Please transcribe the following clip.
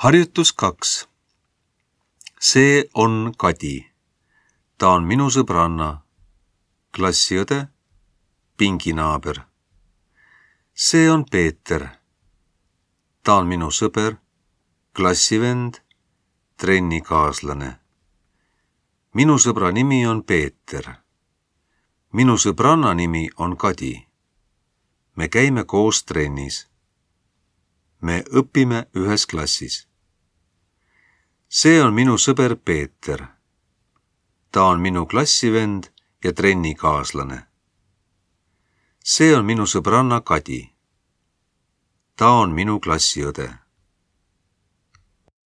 Harjutus 2. See on Kadi. Ta on minu sõbranna, klassiõde, pinginaaber. See on Peeter. Ta on minu sõber, klassivend, trennikaaslane. Minu sõbra nimi on Peeter. Minu sõbranna nimi on Kadi. Me käime koos trennis. Me õpime ühes klassis. See on minu sõber Peeter. Ta on minu klassivend ja trennikaaslane. See on minu sõbranna Kadi. Ta on minu klassiõde.